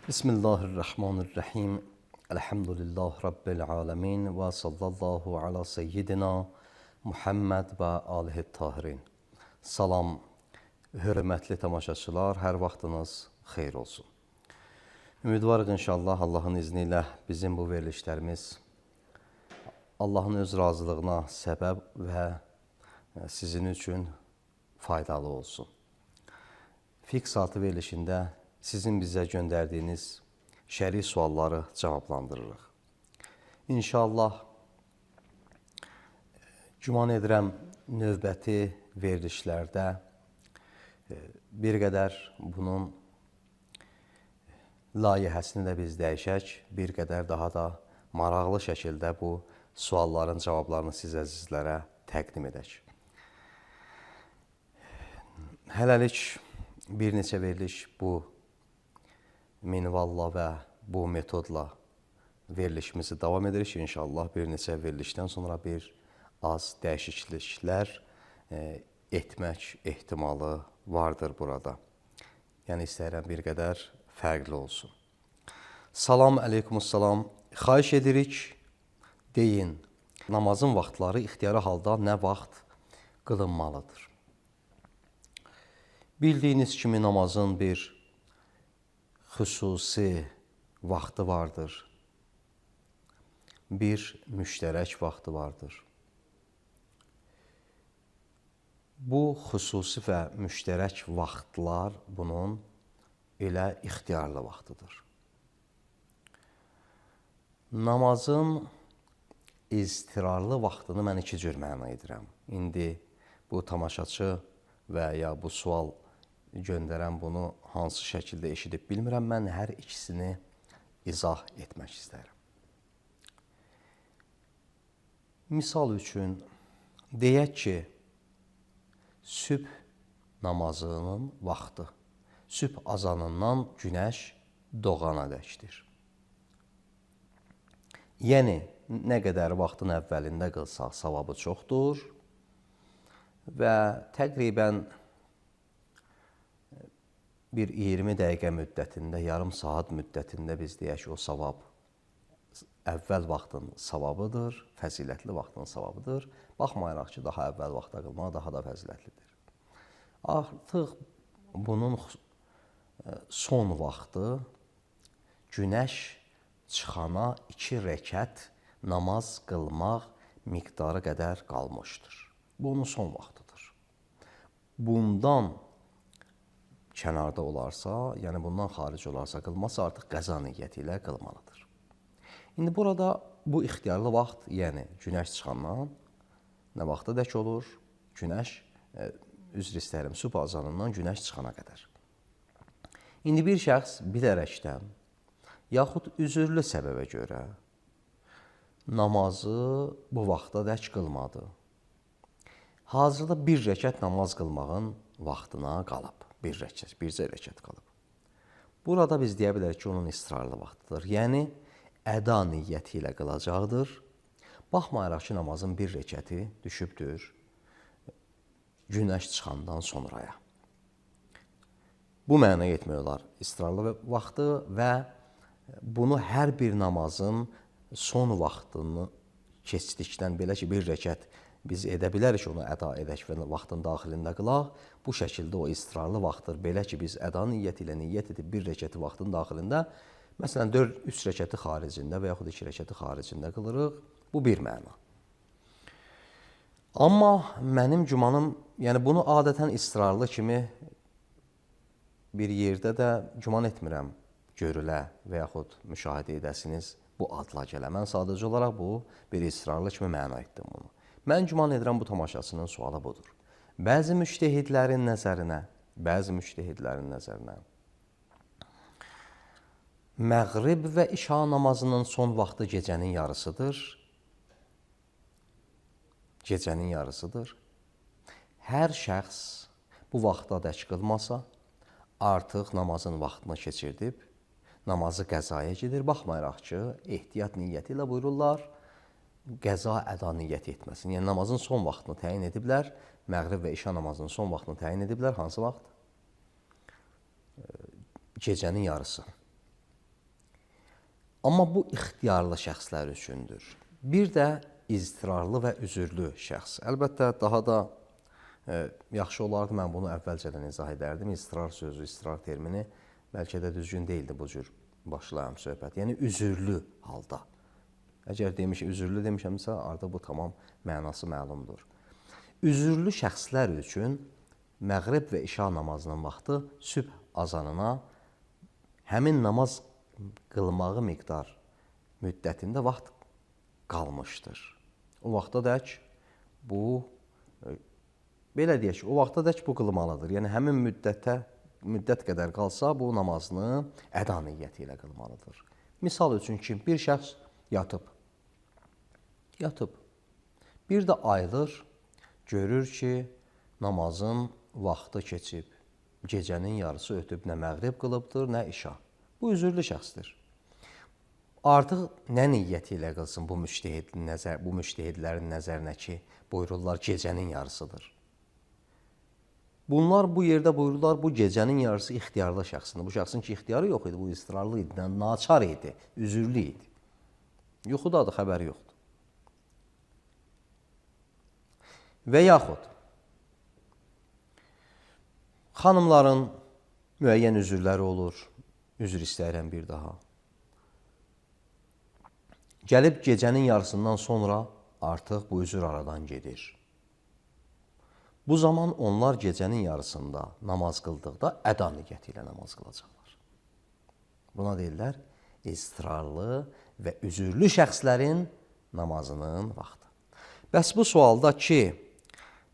Bismillahirrahmanirrahim. Elhamdülillah Rabbil alemin və sallallahu ala seyyidina Muhammed və alihi tahirin. Salam, hörmətli tamaşaçılar, hər vaxtınız xeyir olsun. Ümidvarıq inşallah Allahın izni ilə bizim bu verilişlərimiz Allahın öz razılığına səbəb və sizin üçün faydalı olsun. Fiqh saatı verilişində sizin bizə göndərdiyiniz şəri sualları cavablandırırıq. İnşallah, güman edirəm, növbəti verilişlərdə bir qədər bunun layihəsini də biz dəyişək, bir qədər daha da maraqlı şəkildə bu sualların cavablarını siz əzizlərə təqdim edək. Hələlik bir neçə veriliş bu minvalla və bu metodla verilişimizi davam edirik. İnşallah bir neçə verilişdən sonra bir az dəyişikliklər etmək ehtimalı vardır burada. Yəni istəyirəm bir qədər fərqli olsun. Salam, əleykumussalam. Xahiş edirik, deyin, namazın vaxtları ixtiyari halda nə vaxt qılınmalıdır? Bildiyiniz kimi namazın bir xüsusi vaxtı vardır. Bir müştərək vaxtı vardır. Bu xüsusi və müştərək vaxtlar bunun elə ixtiyarlı vaxtıdır. Namazın iztirarlı vaxtını mən iki cür məna edirəm. İndi bu tamaşaçı və ya bu sual göndərən bunu hansı şəkildə eşidib bilmirəm. Mən hər ikisini izah etmək istərəm. Misal üçün, deyək ki, sübh namazının vaxtı, sübh azanından günəş doğana dəkdir. Yəni, nə qədər vaxtın əvvəlində qılsaq, savabı çoxdur və təqribən bir 20 dəqiqə müddətində, yarım saat müddətində biz deyək ki, o savab əvvəl vaxtın savabıdır, fəzilətli vaxtın savabıdır. Baxmayaraq ki, daha əvvəl vaxtda qılmaq daha da fəzilətlidir. Artıq bunun son vaxtı günəş çıxana 2 rəkət namaz qılmaq miqdarı qədər qalmışdır. Bu onun son vaxtıdır. Bundan kənarda olarsa, yəni bundan xaric olarsa qılmasa artıq qəza niyyəti ilə qılmalıdır. İndi burada bu ixtiyarlı vaxt, yəni günəş çıxandan nə vaxta dək olur? Günəş, üzr istəyirəm, sübh azanından günəş çıxana qədər. İndi bir şəxs bilərəkdən, yaxud üzürlü səbəbə görə namazı bu vaxta dək qılmadı. Hazırda bir rəkət namaz qılmağın vaxtına qalıb. Bircə rəkət qalıb. Burada biz deyə bilərik ki, onun istirarlı vaxtıdır. Yəni, əda niyyəti ilə qılacaqdır. Baxmayaraq ki, namazın bir rəkəti düşübdür günəş çıxandan sonraya. Bu mənaya etmək olar istirarlı vaxtı və bunu hər bir namazın son vaxtını keçdikdən, belə ki, bir rəkət biz edə bilərik onu əda edək və vaxtın daxilində qılaq. Bu şəkildə o istirarlı vaxtdır. Belə ki, biz əda niyyəti ilə niyyət edib bir rəkəti vaxtın daxilində, məsələn, 3 rəkəti xaricində və yaxud 2 rəkəti xaricində qılırıq. Bu bir məna. Amma mənim gümanım, yəni bunu adətən istirarlı kimi bir yerdə də güman etmirəm görülə və yaxud müşahidə edəsiniz bu adla gələ. Mən sadəcə olaraq bu bir istirarlı kimi məna etdim bunu. Mən güman edirəm bu tamaşasının sualı budur. Bəzi müştəhidlərin nəzərinə məğrib və işa namazının son vaxtı gecənin yarısıdır. Gecənin yarısıdır. Hər şəxs bu vaxta dək qılmasa, artıq namazın vaxtını keçirdib, namazı qəzaya gedir. Baxmayaraq ki, ehtiyat niyyəti ilə buyururlar, qəza əda niyyəti etməsin. Yəni, namazın son vaxtını təyin ediblər, məğrib və işa namazının son vaxtını təyin ediblər. Hansı vaxt? Gecənin yarısı. Amma bu ixtiyarlı şəxslər üçündür. Bir də iztirarlı və üzürlü şəxs. Əlbəttə, daha da yaxşı olardı, mən bunu əvvəlcədən izah edərdim. İztirar sözü, iztirar termini bəlkə də düzgün deyildi bu cür başlayam söhbət. Yəni, üzürlü halda. Əgər üzürlü demişəmsə, artıq bu tamam mənası məlumdur. Üzürlü şəxslər üçün məğrib və işa namazının vaxtı sübh azanına həmin namaz qılmağı miqdar müddətində vaxt qalmışdır. O vaxta dək bu, belə deyək ki, o vaxta dək bu qılmalıdır. Yəni, həmin müddət qədər qalsa, bu namazını əda niyyəti ilə qılmalıdır. Misal üçün ki, bir şəxs yatıb. Bir də ayılır, görür ki, namazın vaxtı keçib, gecənin yarısı ötüb, nə məğrib qılıbdır, nə işa. Bu üzürlü şəxsdir. Artıq nə niyyəti ilə qılsın bu müştehidlərin nəzərinə ki, buyururlar gecənin yarısıdır. Bunlar bu yerdə buyururlar, bu gecənin yarısı ixtiyarlı şəxsində. Bu şəxsin ki, ixtiyarı yox idi, bu istirarlı idi, naçar idi, üzürlü idi. Yuxudadır, xəbəri yoxdur. Və yaxud, xanımların müəyyən üzürləri olur, üzr istəyirəm bir daha. Gəlib gecənin yarısından sonra artıq bu üzür aradan gedir. Bu zaman onlar gecənin yarısında namaz qıldıqda əda niyyəti ilə namaz qılacaqlar. Buna deyirlər, istirarlı və üzürlü şəxslərin namazının vaxtı. Bəs bu sualda ki,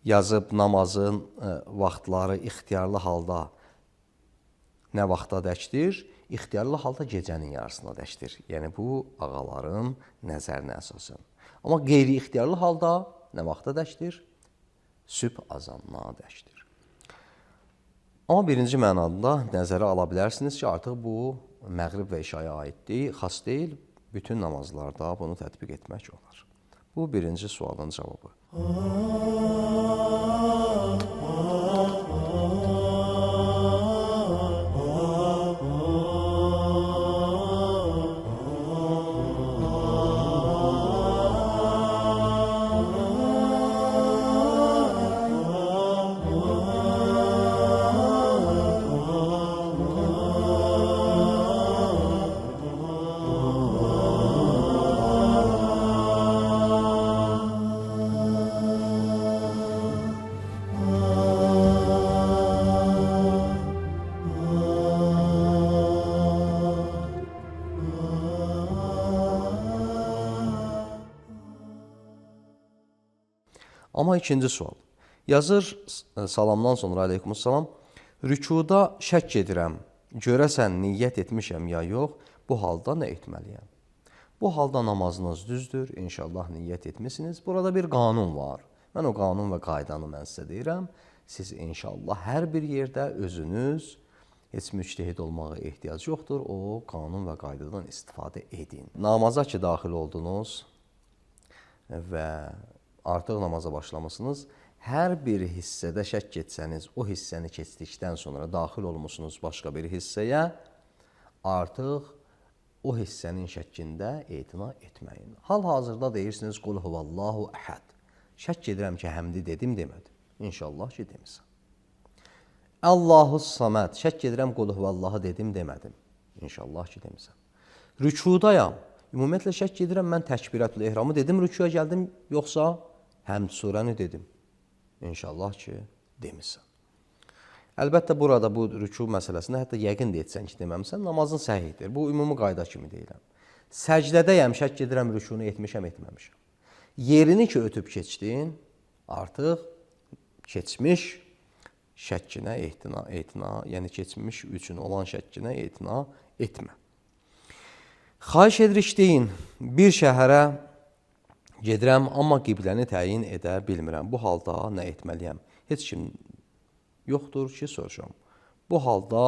yazıb namazın vaxtları ixtiyarlı halda nə vaxta dəkdir? İxtiyarlı halda gecənin yarısına dəkdir. Yəni, bu ağaların nəzərinə əsasən. Amma qeyri-ixtiyarlı halda nə vaxta dəkdir? Sübh azanına dəkdir. Amma birinci mənada nəzərə ala bilərsiniz ki, artıq bu məğrib və işaya aiddir, xas deyil, bütün namazlarda bunu tətbiq etmək olar. Bu birinci sualın cavabı. Amma ikinci sual. Yazır salamdan sonra aleykumussalam, rükuda şəkk edirəm, görəsən niyyət etmişəm ya yox, bu halda nə etməliyəm? Bu halda namazınız düzdür, inşallah niyyət etmişsiniz. Burada bir qanun var. Mən o qanun və qaydanı mən sizə deyirəm. Siz inşallah hər bir yerdə özünüz heç müctehid olmağa ehtiyac yoxdur. O qanun və qaydadan istifadə edin. Namaza ki, daxil oldunuz və artıq namaza başlamışsınız. Hər bir hissədə şəkk etsəniz, o hissəni keçdikdən sonra daxil olmuşsunuz başqa bir hissəyə, artıq o hissənin şəkkində etina etməyin. Hal-hazırda deyirsiniz, qul huvallahu əhəd. Şəkk edirəm ki, həmdi dedim, demədim. İnşallah ki, demirsən. Allahu saməd. Şəkk edirəm, qul huvallahu dedim, demədim. İnşallah ki, demirsən. Rükudayam. Ümumiyyətlə şəkk edirəm, mən təkbirətül ehramı dedim, rükuya gəldim, yoxsa həmd surəni dedim. İnşallah ki, demirsən. Əlbəttə, burada bu rüku məsələsində hətta yəqin də etsən ki, deməmsən, namazın səhihdir. Bu, ümumi qayda kimi deyirəm. Səcdədəyəm, şəkk edirəm, rükunu etmişəm, etməmişəm. Yerini ki, ötüb keçdin, artıq keçmiş şəkkinə etina, yəni keçmiş üçün olan şəkkinə etina etmə. Xahiş edirik deyin, bir şəhərə gedirəm, amma qibləni təyin edə bilmirəm. Bu halda nə etməliyəm? Heç kim yoxdur ki, soruşam. Bu halda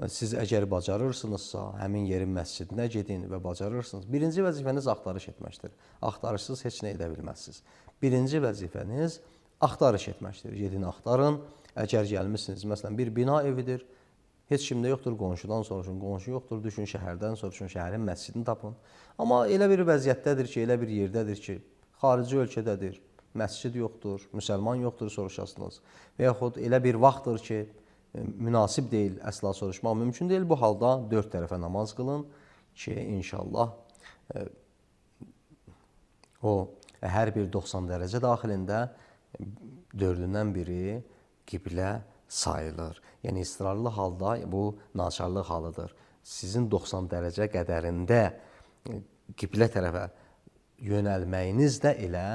siz əgər bacarırsınızsa, həmin yerin məscidinə gedin və bacarırsınız. Birinci vəzifəniz axtarış etməkdir. Axtarışsız heç nə edə bilməzsiniz. Birinci vəzifəniz axtarış etməkdir. Gedin, axtarın. Əgər gəlmişsiniz, məsələn, bir bina evidir, Heç kimdə yoxdur, qonşudan soruşun, qonşu yoxdur, düşün şəhərdən soruşun, şəhərin məscidini tapın. Amma elə bir vəziyyətdədir ki, elə bir yerdədir ki, xarici ölkədədir, məscid yoxdur, müsəlman yoxdur soruşasınız. Və yaxud elə bir vaxtdır ki, münasib deyil, əsla soruşmaq mümkün deyil. Bu halda 4 tərəfə namaz qılın ki, inşallah o hər bir 90 dərəcə daxilində 4-dən biri qiblə sayılır. Yəni israrlı halda bu naçarlıq halıdır. Sizin 90 dərəcə qədərində qiblə tərəfə yönəlməyiniz də elə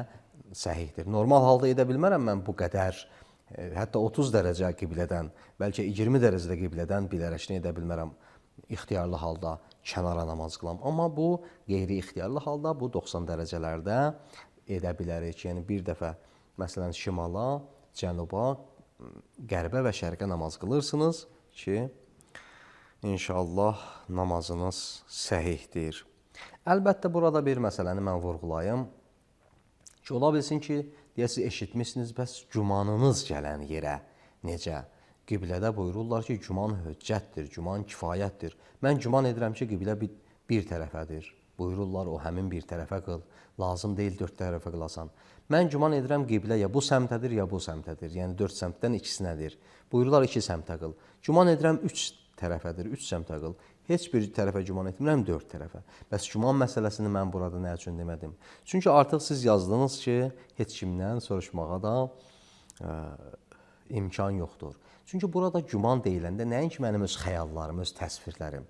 səhihdir. Normal halda edə bilmərəm mən bu qədər, hətta 30 dərəcə qiblədən, bəlkə 20 dərəcədə qiblədən bilərəkini edə bilmərəm. İxtiyarlı halda kənara namaz qılam. Amma bu qeyri-ixtiyarlı halda bu 90 dərəcələrdə edə bilərik. Yəni bir dəfə məsələn şimala, cənuba, qərbə və şərqə namaz qılırsınız ki, inşallah namazınız səhihdir. Əlbəttə, burada bir məsələni mən vurğulayım ki, ola bilsin ki, deyəsiniz, eşitmişsiniz, bəs cumanınız gələn yerə necə? Qiblədə buyururlar ki, güman höccətdir, güman kifayətdir. Mən güman edirəm ki, qiblə bir tərəfədir. Buyururlar, o həmin bir tərəfə qıl. Lazım deyil 4 tərəfə qılasan. Mən güman edirəm qiblə ya bu səmtədir, ya bu səmtədir. Yəni 4 səmtdən ikisinədir. Buyururlar 2 səmtə qıl. Güman edirəm 3 tərəfədir, 3 səmtə qıl. Heç bir tərəfə güman etmirəm 4 tərəfə. Bəs güman məsələsini mən burada nə üçün demədim? Çünki artıq siz yazdınız ki, heç kimdən soruşmağa da imkan yoxdur. Çünki burada güman deyiləndə nəinki mənim öz xəyallarım, öz təsvirlərim.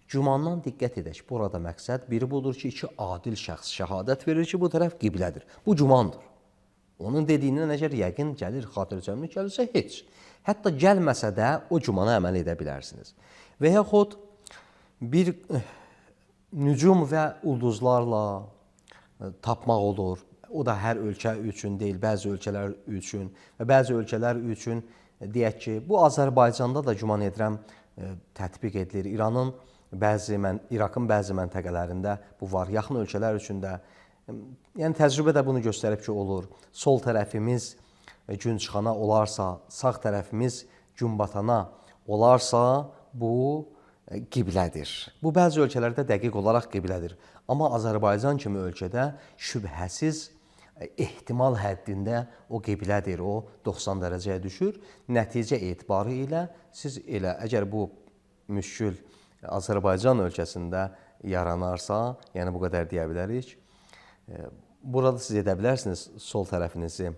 Gümandan diqqət edək. Burada məqsəd biri budur ki, 2 adil şəxs şəhadət verir ki, bu tərəf qiblədir. Bu gümandır. Onun dediyindən əgər yəqin gəlir, xatircəmlik gəlirsə heç. Hətta gəlməsə də o gümana əməl edə bilərsiniz. Və yaxud bir nücum və ulduzlarla tapmaq olur. O da hər ölkə üçün deyil, bəzi ölkələr üçün və bəzi ölkələr üçün deyək ki, bu Azərbaycanda da güman edirəm tətbiq edilir. İraqın bəzi məntəqələrində bu var. Yaxın ölkələr üçün də, yəni təcrübə də bunu göstərib ki, olur. Sol tərəfimiz gün çıxana olarsa, sağ tərəfimiz gün batana olarsa, bu qiblədir. Bu bəzi ölkələrdə dəqiq olaraq qiblədir. Amma Azərbaycan kimi ölkədə şübhəsiz ehtimal həddində o qiblədir, o 90 dərəcəyə düşür. Nəticə etibarı ilə siz elə, əgər bu müşkül Azərbaycan ölkəsində yaranarsa, yəni bu qədər deyə bilərik, burada siz edə bilərsiniz sol tərəfinizi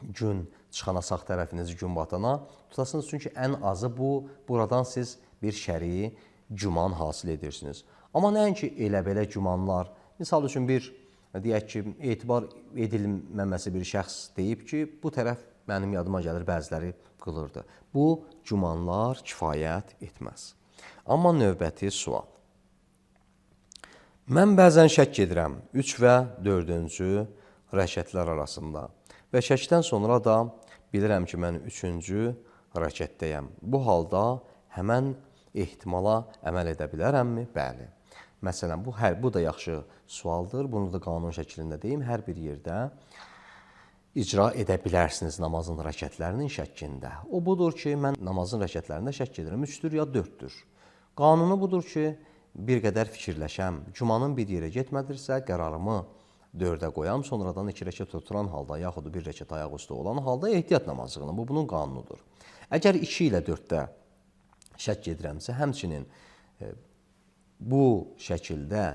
gün çıxana, sağ tərəfinizi gün batana tutasınız. Çünki ən azı buradan siz bir şərii güman hasil edirsiniz. Amma nəinki elə-belə gümanlar, misal üçün bir, deyək ki, etibar edilməməsi bir şəxs deyib ki, bu tərəf mənim yadıma gəlir, bəziləri qılırdı. Bu gümanlar kifayət etməz. Amma növbəti sual. Mən bəzən şəkk edirəm 3 və 4-cü rəkətlər arasında və şəkdən sonra da bilirəm ki, mən 3-cü rəkətdəyəm. Bu halda həmən ehtimala əməl edə bilərəmmi? Bəli. Məsələn, bu da yaxşı sualdır. Bunu da qanun şəklində deyim. Hər bir yerdə icra edə bilərsiniz namazın rəkətlərinin şəkkində. O budur ki, mən namazın rəkətlərində şəkk edirəm. 3-dür ya 4-dür. Qanunu budur ki, bir qədər fikirləşəm. Cumanın bir yerə getmədirsə, qərarımı 4-ə qoyam, sonradan 2 rəkət oturan halda, yaxud 1 rəkət ayaq üstə olan halda ehtiyat namazı qılın. Bu, bunun qanunudur. Əgər 2 ilə 4-də şəkk edirəmsə, həmçinin bu şəkildə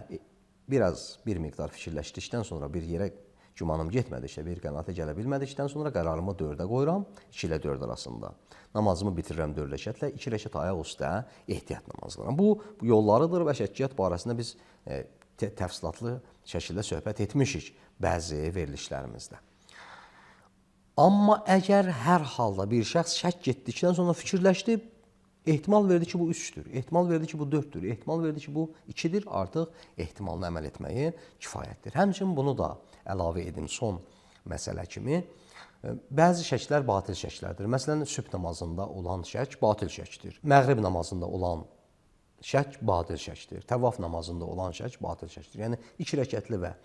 bir miqdar fikirləşdikdən sonra bir yerə gümanım getmədikdə, bir qənaətə gələ bilmədikdən sonra qərarımı 4-ə qoyuram, 2 ilə 4 arasında. Namazımı bitirirəm 4 rəkətlə, 2 rəkət ayaq üstə ehtiyat namazı qılıram. Bu yollarıdır və şəkkiyyat barəsində biz təfsilatlı şəkildə söhbət etmişik bəzi verilişlərimizdə. Amma əgər hər halda bir şəxs şəkk etdikdən sonra fikirləşdi, ehtimal verdi ki, bu 3-dür, ehtimal verdi ki, bu 4-dür, ehtimal verdi ki, bu 2-dir, artıq ehtimalına əməl etməyi kifayətdir. Həmçinin bunu da əlavə edim son məsələ kimi. Bəzi şəklər batil şəklərdir. Məsələn, sübh namazında olan şək batil şəkdir. Məğrib namazında olan şək batil şəkdir. Təvaf namazında olan şək batil şəkdir. Yəni 2 rəkətli və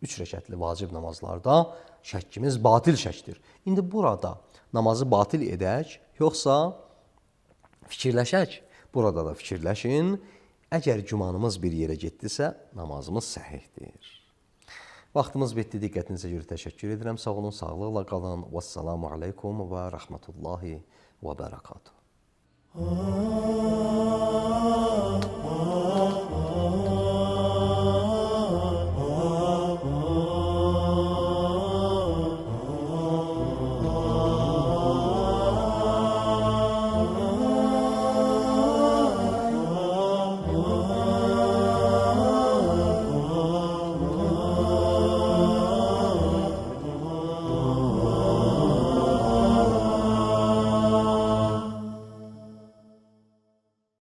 3 rəkətli vacib namazlarda şəkkimiz batil şəkdir. İndi burada namazı batil edək, yoxsa fikirləşək. Burada da fikirləşin. Əgər gümanımız bir yerə getdisə, namazımız səhihdir. Vaxtımız bitdi. Diqqətinizə görə təşəkkür edirəm. Sağ olun, sağlıqla qalın. Vəssalamu aleykum və rəhmətullahi və bərəkatuhu.